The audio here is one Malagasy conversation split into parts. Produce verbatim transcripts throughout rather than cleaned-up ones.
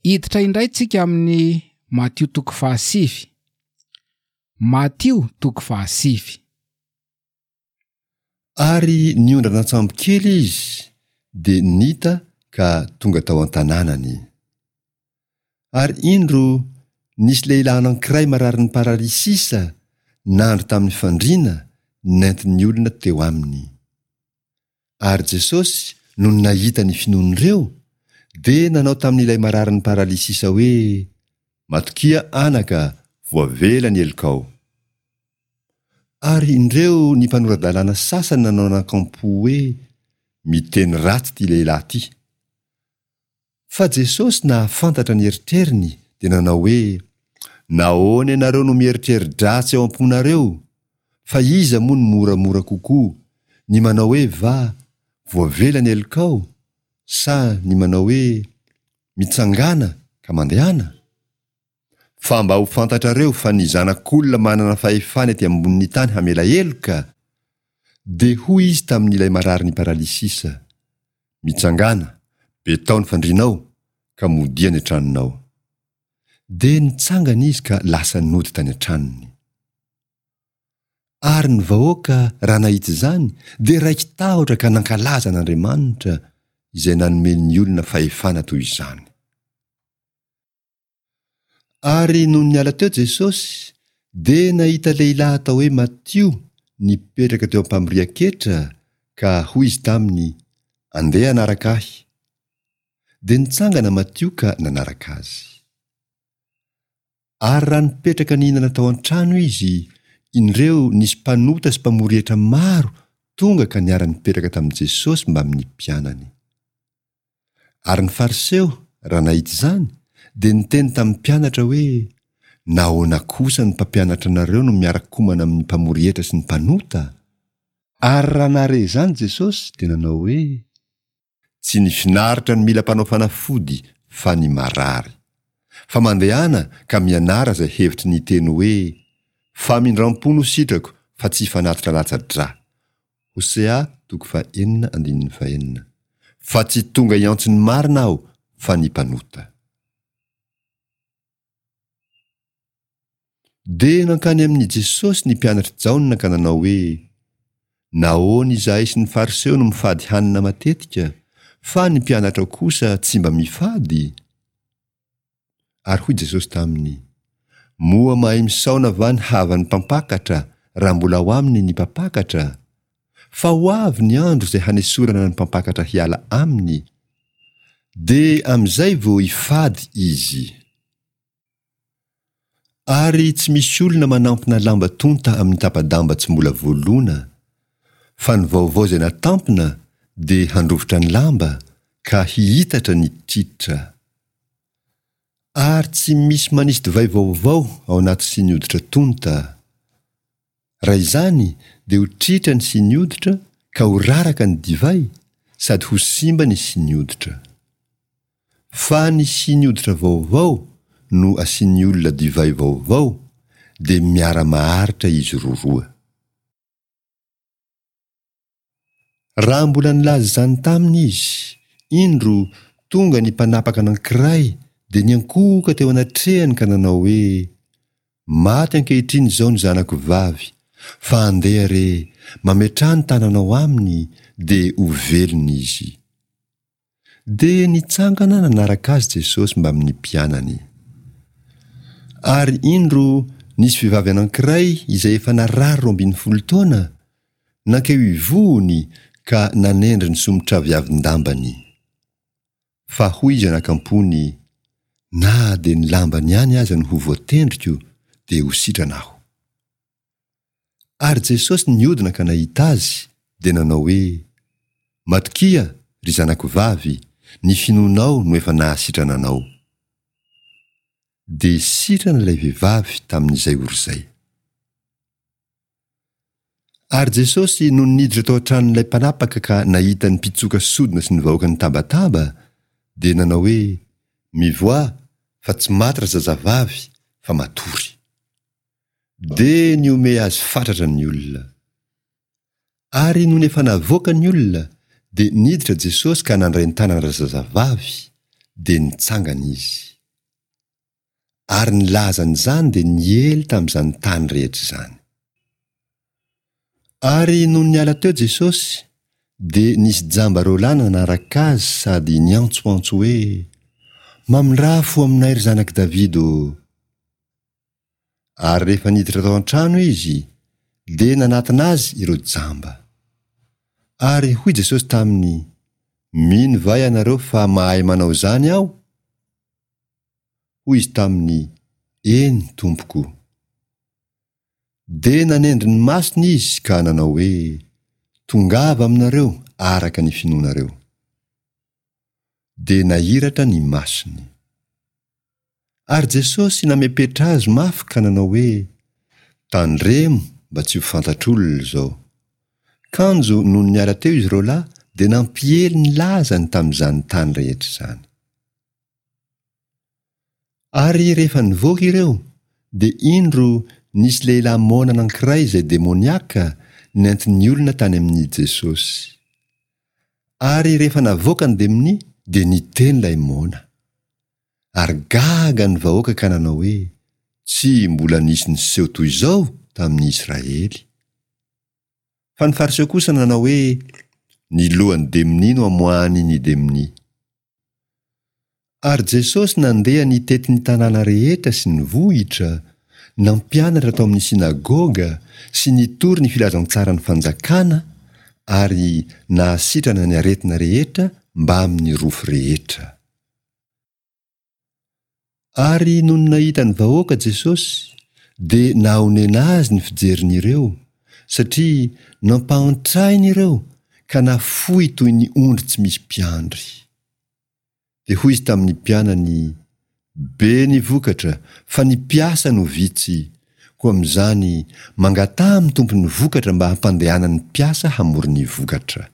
Hiditra indray tsika amin'ny Matio toko fahasivy. Matio toko fahasivy. Ary niondrana an-tsambo kely izy, dia nita ka tonga tao an-tanànany. Ary indro, nisy lehilahy anankiray mararin'ny paralysisa nandry tamin'ny fandriana nentin'ny olona teo aminy. Ary Jesosy, nony nahita ny finoan'ireo, dia nanao tamin'ilay mararin'ny paralysisa hoe, Matokia anaka, voavela ny helokao. Ary indreo ny mpanora-dalàna sasany nanao anakampo hoe, Miteny ratsy ity lehilahy ity. Fa Jesosy nahafantatra ny eritreriny dia nanao hoe, Nahoana ianareo no mieritreri-dratsy ao am-ponareo? Fa iza moa no moramora kokoa, ny manao hoe va, voavela ny helokao, sa ny manao hoe, mitsangàna ka mandehana? Fa mba ho fantatrareo fa ny Zanak'olona manana fahefana ety ambonin'ny tany hamela heloka, dia hoy izy tamin'ilay mararin'ny paralysisa, Mitsangàna, betao ny fandrianao, ka modia any an-tranonao. Dia nitsangana izy ka lasa nody tany an-tranony. Ary ny vahoaka, raha nahita izany, dia raiki-tahotra ka nankalaza an'Andriamanitra, izay nanome ny olona fahefana toy izany. Ary nony niala teo Jesosy, dia nahita lehilahy atao hoe Matio nipetraka teo am-pamorian-ketra, ka hoy izy taminy, Andeha hanaraka ahy. Dia nitsangana Matio ka nanaraka azy. Ary raha nipetraka nihinana tao an-trano izy, indreo nisy mpanota sy mpamory hetra maro tonga ka niara-nipetraka tamin'i Jesosy mbamin'ny mpianany. Ary ny Fariseo, raha nahita izany, dia niteny tamin'ny mpianatra hoe, Nahoana kosa ny mpampianatra anareo no miara-komana amin'ny mpamory hetra sy ny mpanota? Ary raha nahare izany Jesosy, dia nanao hoe, Tsy ny finaritra no mila mpanao fanafody, fa ny marary. Fa mandehana ka mianara izay hevitry ny teny hoe, Famindram-po no sitrako, fa tsy fanatitra latsa-drà. Hosea toko fahenina andininy fahenina. Fa tsy tonga hiantso ny marina aho fa ny mpanota. Dia nankany amin'i Jesosy ny mpianatr'i Jaona ka nanao hoe, Nahoana izahay sy ny Fariseo no mifady hanina matetika, fa ny mpianatrao kosa tsy mba mifady? Ary hoy Jesosy taminy, Moa mahay misaona va ny havan'ny mpampakatra raha mbola ao aminy ny mpampakatra? Fa ho avy ny andro izay hanesorana ny mpampakatra hiala aminy, dia amin'izay vao hifady izy. Ary tsy misy olona manampina lamba tonta amin'ny tapa-damba tsy mbola voalona, fa ny vaovao izay natampina dia handrovitra ny lamba ka hihitatra ny tritra. Ary tsy misy manisy divay vaovao ao anaty siny hoditra tonta. Raha izany dia ho tritra ny siny hoditra ka ho raraka ny divay sady ho simba ny siny hoditra. Fa ny siny hoditra vaovao no asian'ny olona divay vaovao dia miara-maharitra izy roroa. Raha mbola nilaza izany taminy izy, indro, tonga ny mpanapaka anankiray dia niankohoka teo anatrehany ka nanao hoe, Maty ankehitriny izao ny zanako vavy, fa andeha re, mametraha ny tananao aminy, dia ho velona izy. Dia nitsangana nanaraka azy Jesosy mbamin'ny mpianany. Ary indro, nisy vehivavy anankiray izay efa narary roa ambin'ny folo taona, nankeo ivohony ka nanendry ny somotraviavin-dambany. Fa hoy izy anakampony, Na dia ny lambany ihany aza no ho voatendriko, dia ho sitrana aho. Ary Jesosy nihodina ka nahita azy, dia nanao hoe, Matokia, ry zanako vavy, ny finoanao no efa nahasitrana anao. Dia sitrana ilay vehivavy tamin'izay ora izay. Ary Jesosy nony niditra tao an-tranon'ilay mpanapaka ka nahita ny mpitsoka sodina sy ny vahoaka nitabataba, dia nanao hoe, Mivoaha, fa tsy maty razazavavy, fa matory. Dia nihomehy azy fatratra ny olona. Ary nony efa navoaka ny olona, dia niditra Jesosy ka nandray ny tanan-drazazavavy, dia nitsangana izy. Ary ny lazan'izany dia niely tamin'izany tany rehetra izany. Ary nony niala teo Jesosy, dia nisy jamba roa lahy nanaraka azy sady niantsoantso hoe, Mamindrà fo aminay, ry zanak'i Davida ô! Ary rehefa niditra tao an-trano izy, dia nanatona azy ireo jamba. Ary hoy Jesosy taminy, Mino va ianareo fa mahay manao izany aho? Hoy izy taminy, Eny, Tompoko. Dia nanendry ny masony izy ka nanao hoe, Tongava aminareo araka ny finoanareo. Dia nahiratra ny masony. Ary Jesosy namepetra azy mafy ka nanao hoe, Tandremo mba tsy ho fantatr'olona izao. Kanjo nony niala teo izy roa lahy dia nampiely ny lazany tamin'izany tany rehetra izany. Ary rehefa nivoaka ireo, dia indro nisy lehilahy moana anankiray izay demoniaka nentin'ny olona tany amin'i Jesosy. Ary rehefa navoaka ny demonia, dia niteny ilay moana. Ary gaga ny vahoaka ka nanao hoe, Tsy mbola nisy niseho toy izao tamin'ny Israely. Fa ny Fariseo kosa nanao hoe, Ny lohan'ny demonia no amoahany ny demonia. Ary Jesosy nandeha nitety ny tanàna rehetra sy ny vohitra, nampianatra tao amin'ny synagoga sy nitory ny filazantsaran'ny fanjakana ary nahasitrana ny aretina rehetra mbamin'ny rofy rehetra. Ary nony nahita ny vahoaka Jesosy, dia nahonena azy ny fijeriny ireo, satria nampahantrainy ireo ka nafoy toy ny ondry tsy misy mpiandry. Dia hoy izy tamin'ny mpianany, Be ny vokatra, fa ny mpiasa no vitsy, koa amin'izany, mangataha amin'ny Tompon'ny vokatra mba hampandehanany mpiasa hamory ny vokatra.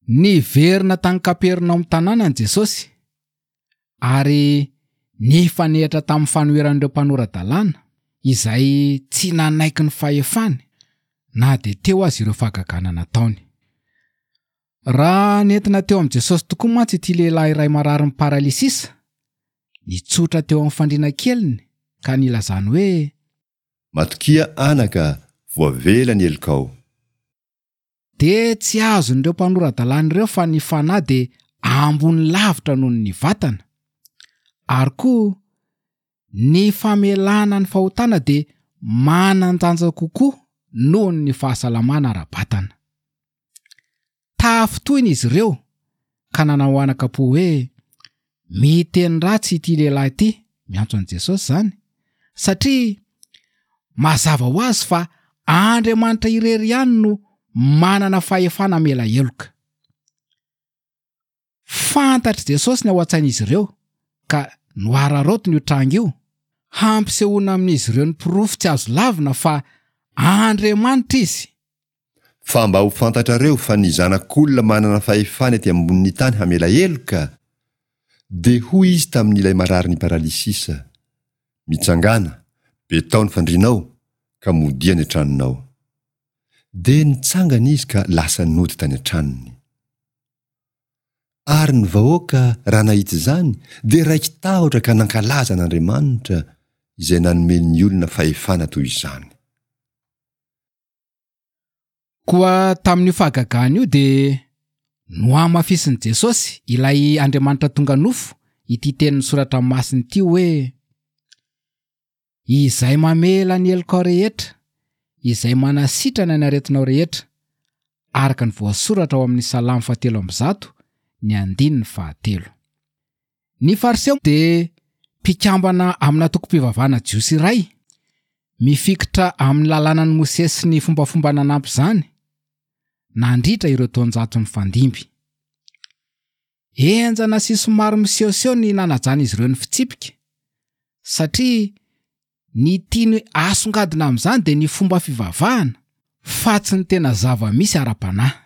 Niverina tany Kapernaomy tanànany Jesosy, ary nifanehitra tamin'ny fanoheran'ireo mpanora-dalàna, izay tsy nanaiky ny fahefany, na dia teo aza ireo fahagagana nataony. Raha nentina teo amin'i Jesosy tokoa mantsy ity lehilahy iray mararin'ny paralysisa, nitsotra teo amin'ny fandriana keliny ka nilazany hoe, Matokia anaka, voavela ny helokao. Dia tsy azon'ireo mpanora-dalàna ireo fa ny fanahy dia ambony lavitra noho ny vatana, ary koa ny famelana ny fahotana dia manan-danja kokoa noho ny fahasalamana ara-batana. Tafintohina izy ireo ka nanao anaka-po hoe, Miteny ratsy ity lehilahy ity, miantso an'i Jesosy izany, satria mazava ho azy fa Andriamanitra irery ihany no manana fahefana hamela heloka. Fantatr'i Jesosy ny ao an-tsain'izy ireo ka noararaotiny io tranga io, hampisehoana amin'izy ireo ny porofo tsy azo lavina fa Andriamanitra izy. Fa mba ho fantatrareo fa ny Zanak'olona manana fahefana ety ambonin'ny tany hamela heloka, dia hoy izy tamin'ilay mararin'ny paralysisa, Mitsangàna, betao ny fandrianao, ka modia any an-tranonao. Dia nitsangana izy ka lasa nody tany an-tranony. Ary ny vahoaka, raha nahita izany, dia raiki-tahotra ka nankalaza an'Andriamanitra, izay nanome ny olona fahefana toy izany. Koa tamin'io fahagagana io dia nohamafisin'i Jesosy, ilay Andriamanitra tonga nofo, ity tenin'ny Soratra Masina ity hoe, Izay mamela ny helokao rehetra, izay manasitrana ny aretinao rehetra, araka ny voasoratra ao amin'ny Salamo fahatelo amby zato, ny andininy fahatelo. Ny Fariseo dia mpikambana amina antokom-pivavahana jiosy iray, mifikitra amin'ny lalànan'i Mosesy sy ny fombafomba nanampy izany, nandritra ireo taonjato nifandimby. Henjana sy somary misehoseho ny nanajan'izy ireo ny fitsipika, satria ny tiany asongadina amin'izany dia ny fomba fivavahana, fa tsy ny tena zava-misy ara-panahy.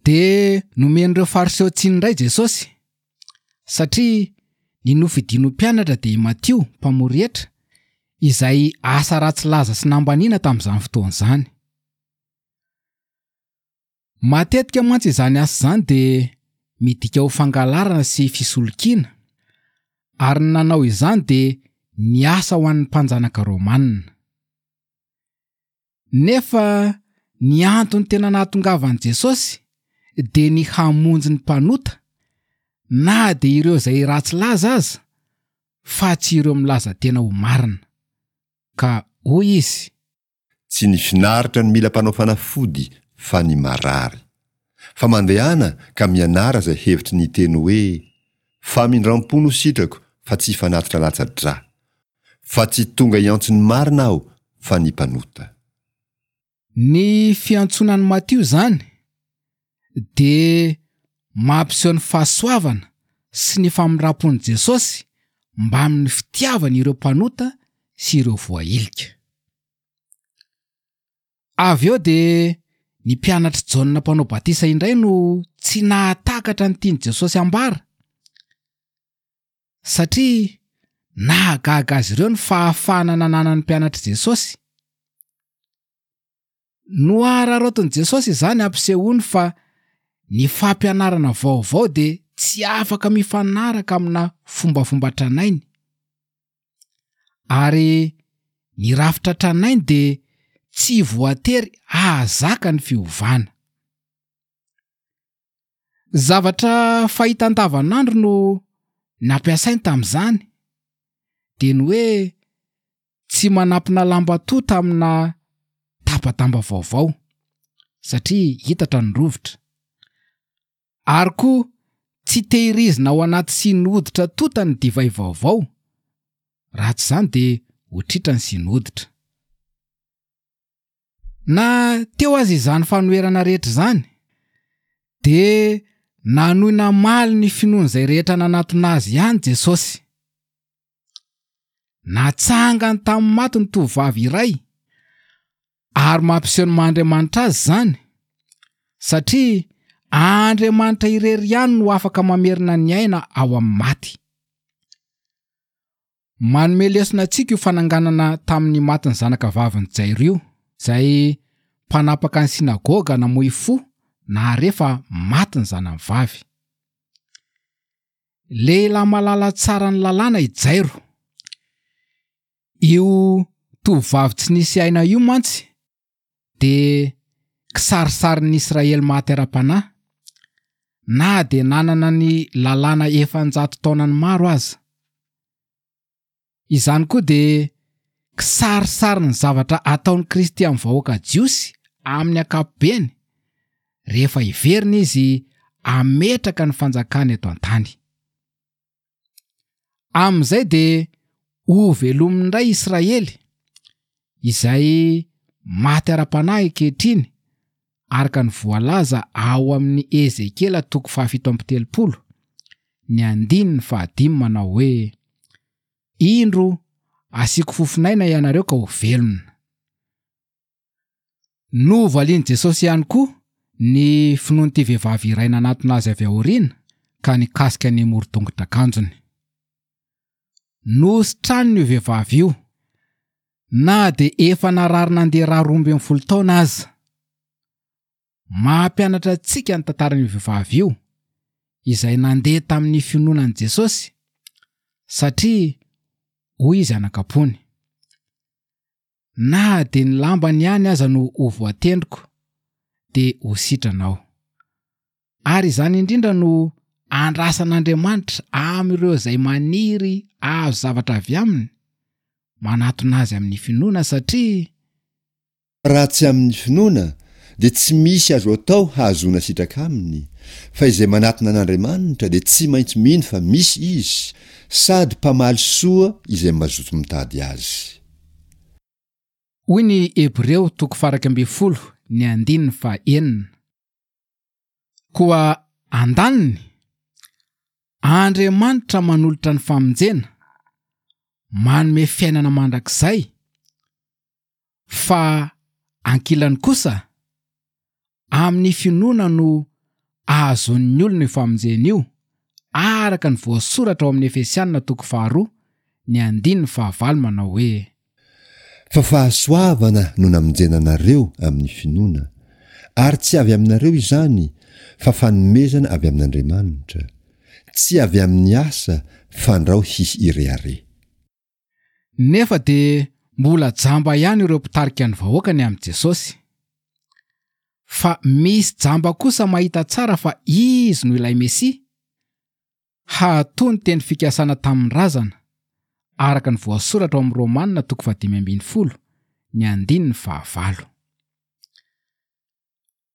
Dia nomen'ireo Fariseo tsiny indray Jesosy, satria ny nofidiny ho mpianatra dia i Matio, mpamory hetra, izay asa ratsy laza sy nambaniana tamin'izany fotoana izany. Matetika mantsy izany asa izany dia midika ho fangalarana sy fisolokiana, ary ny nanao izany dia niasa ho an'ny mpanjanaka romanina. Nefa ny antony tena nahatongavan'i Jesosy dia ny hamonjy ny mpanota, na dia ireo izay ratsy laza aza, fa tsy ireo milaza tena ho marina. Ka hoy izy. Tsy ny finaritra no mila mpanao fanafody fa ny marary. Fa mandehana ka mianara izay hevitry ny teny hoe, Famindram-po no sitrako fa tsy fanatitra latsa-drà. Fa tsy tonga hiantso ny marina aho fa ny mpanota. Ny fiantsoana an'i Matio izany dia mampiseho ny fahasoavana sy ny famindram-pon'i Jesosy mbamin'ny fitiavany ireo mpanota sy ireo voahilika. Avy eo dia ny mpianatr'i Jaona mpanao batisa indray no tsy nahatakatra ny tian'i Jesosy hambara, satria nahagaga azy ireo ny fahafahana nananan'ny mpianatr'i Jesosy. Nohararaotin'i Jesosy izany hampisehoany fa ny fampianarana vaovao dia tsy afaka mifanaraka amina fombafomba tranainy, ary ny rafitra tranainy dia tsy voatery hahazaka ny fiovana. Zavatra fahita andavanandro no nampiasainy tamin'izany, dia ny hoe tsy manampina lamba tota amina tapa-damba vaovao, satria hitatra ny rovitra. Ary koa tsy tehirizina ao anaty siny hoditra tota ny divay vaovao, raha tsy izany dia ho tritra ny siny hoditra. Na teo aza izany fanoherana rehetra izany, dia nanohy namaly ny finoan'izay rehetra nanatona azy ihany Jesosy. Natsangany tamin'ny maty ny tovovavy iray, ary mampiseho ny maha Andriamanitra azy izany, satria Andriamanitra irery ihany no afaka mamerina ny aina ao amin'ny maty. Manome lesona antsika io fananganana tamin'ny maty ny zanaka vavin'i Jairo io, izay mpanapaka ny synagoga namoy fo nahare fa maty ny zanany vavy. Lehilahy malala tsara ny lalàna i Jairo. Io tovovavy tsy nisy aina io mantsy dia kisarisarin'ny Israely maty ara-panahy, na dia nanana ny lalàna efa-njato taonany maro aza. Izany koa dia kisarisarin'ny zavatra ataon'i Kristy amin'ny vahoaka jiosy amin'ny ankapobeny rehefa hiverina izy hametraka ny fanjakany eto an-tany. Amin'izay dia hovelominy indray Israely izay maty ara-panahy ankehitriny araka ny voalaza ao amin'ny Ezekiela toko fahafito amby telopolo, ny andininy fahadimy manao hoe, Indro asiako fofonaina ianareo ka ho velona. Novalian'i Jesosy ihany koa ny finoan'ity vehivavy iray nanatona azy avy aoriana ka nikasika ny moron-tongotr'akanjony. Nositraniny io vehivavy io, na dia efa narary nandeha ra roa ambin'ny folo taona aza. Mampianatra antsika ny tantaran'io vehivavy io, izay nandeha tamin'ny finoana an'i Jesosy, satria hoy izy anakam-pony, Na dia ny lambany ihany aza no ho voatendriko, dia ho sitrana aho. Ary izany indrindra no andrasan'Andriamanitra amin'ireo izay maniry hahazo zavatra avy aminy, manatona azy amin'ny finoana satria. Raha tsy amin'ny finoana, dia tsy misy azo atao hahazoana sitraka aminy, fa izay manatona an'Andriamanitra dia tsy maintsy mino fa misy Izy, sady mpamaly soa izay mazoto mitady Azy. Hoy ny Hebreo toko faha-iraika ambin'ny folo ny andininy faha-enina. Koa andaniny, Andriamanitra manolotra ny famonjena, manome fiainana mandrakizay, fa ankilany kosa, amin'ny finoana no ahazoan'ny olona io famonjena io, araka ny voasoratra ao amin'ny Efesiana toko faharoa, ny andininy fahavalo manao hoe. Fa fahasoavana no namonjena anareo amin'ny finoana, ary tsy avy aminareo izany, fa fanomezana avy amin'Andriamanitra, tsy avy amin'ny asa, fandrao hisy hirehareha. Nefa dia mbola jamba ihany ireo mpitarika ny vahoaka ny amin'i Jesosy. Fa misy jamba kosa mahita tsara fa Izy no ilay Mesia, hahatoa ny teny fikasana tamin'ny razana, araka ny voasoratra ao amin'ny Romana toko fahadimy ambin'ny folo, ny andininy fahavalo.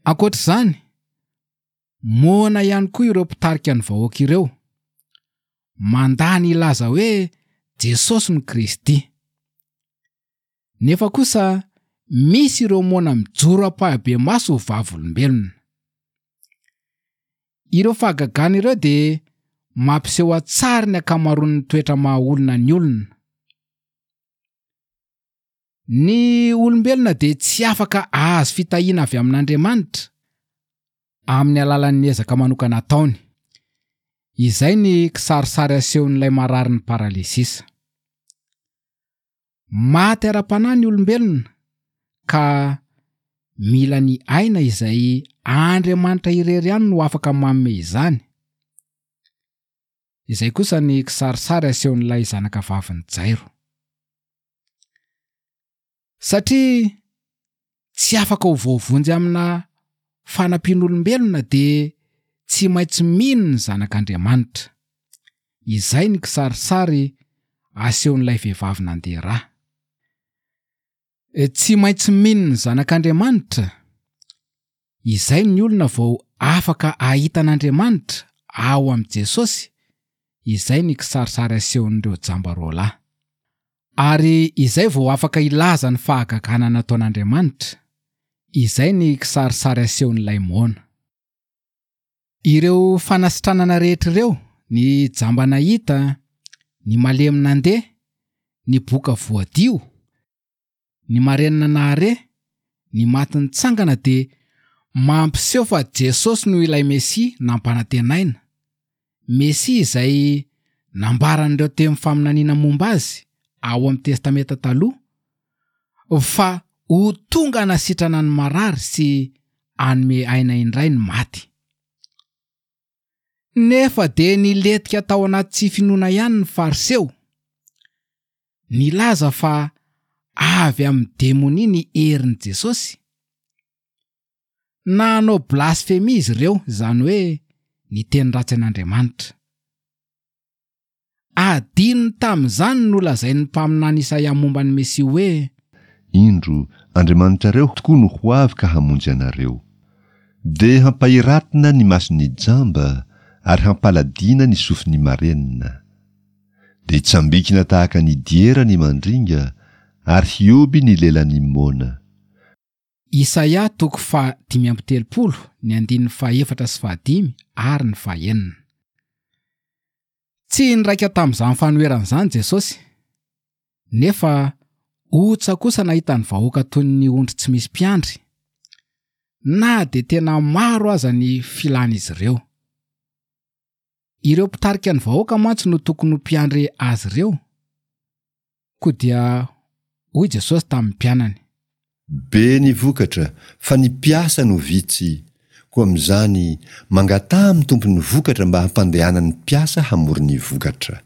Ankoatra izany, moana ihany koa ireo mpitarika ny vahoaka ireo, mandà ny hilaza hoe Jesosy no Kristy. Nefa kosa misy ireo moana mijoro ampahibemaso ho vavolombelona. Ireo fahagagana ireo dia mampiseho an-tsary ny ankamaroan'ny toetra maha olona ny olona. Ny olombelona dia tsy afaka hahazo fitahiana avy amin'Andriamanitra amin'ny alalan'ny ezaka manokana ataony. Izay ny kisarisary asehon'ilay mararin'ny paralysisa. Maty ara-panahy ny olombelona ka mila ny aina izay Andriamanitra irery ihany no afaka manome izany. Izay kosa ny kisarisary asehon'ilay zanaka vavin'i Jairo. Satria tsy afaka ho voavonjy amina fanampian'olombelona dia tsy maintsy mino ny zanak'Andriamanitra. Izay ny kisarisary asehon'ilay vehivavy nandeha rà. Tsy maintsy mino ny zanak'Andriamanitra. Izay ny olona vao afaka hahita an'Andriamanitra ao amin'i Jesosy. Izay ny kisarisary asehon'ireo jamba roa lahy. Ary izay vao afaka hilaza ny fahagagana nataon'Andriamanitra. Izay ny kisarisary asehon'ilay moana. Ireo fanasitranana rehetra ireo, ny jamba nahita, ny malemy nandeha, ny boka voadio, ny marenina nahare, ny maty nitsangana dia mampiseho fa Jesosy no ilay Mesia nampanantenaina. Mesia izay nambaran'ireo teny faminaniana momba azy ao amin'ny Testamenta Taloha fa ho tonga hanasitrana ny marary sy hanome aina indray ny maty. Nefa dia nilentika tao anaty tsy finoana ihany ny Fariseo. Nilaza fa avy amin'ny demonia ny herin'i Jesosy. Nanao blasfemia izy ireo, izany hoe niteny ratsy an'Andriamanitra. Adinony tamin'izany no lazain'ny mpaminany Isaia momba ny Mesia hoe: Indro, Andriamanitrareo tokoa no ho avy ka hamonjy anareo. Dia hampahiratina ny mason'ny jamba ary hampaladiana ny sofin'ny marenina. Dia hitsambikina tahaka ny diera ny mandringa ary hioby ny lelan'ny moana. Isaia toko fahadimy amby telopolo, ny andininy fahefatra sy fahadimy ary ny fahenina. Tsy niraika tamin'izany fanoherana izany Jesosy, nefa otsa kosa nahita ny vahoaka toy ny ondry tsy misy mpiandry, na dia tena maro aza ny filan'izy ireo. Ireo mpitarika ny vahoaka mantsy no tokony ho mpiandry azy ireo. Koa dia hoy Jesosy tamin'ny mpianany: Be ny vokatra, fa ny mpiasa no vitsy. Koa amin'izany, mangataha amin'ny tompon'ny vokatra mba hampandehanany mpiasa hamory ny vokatra.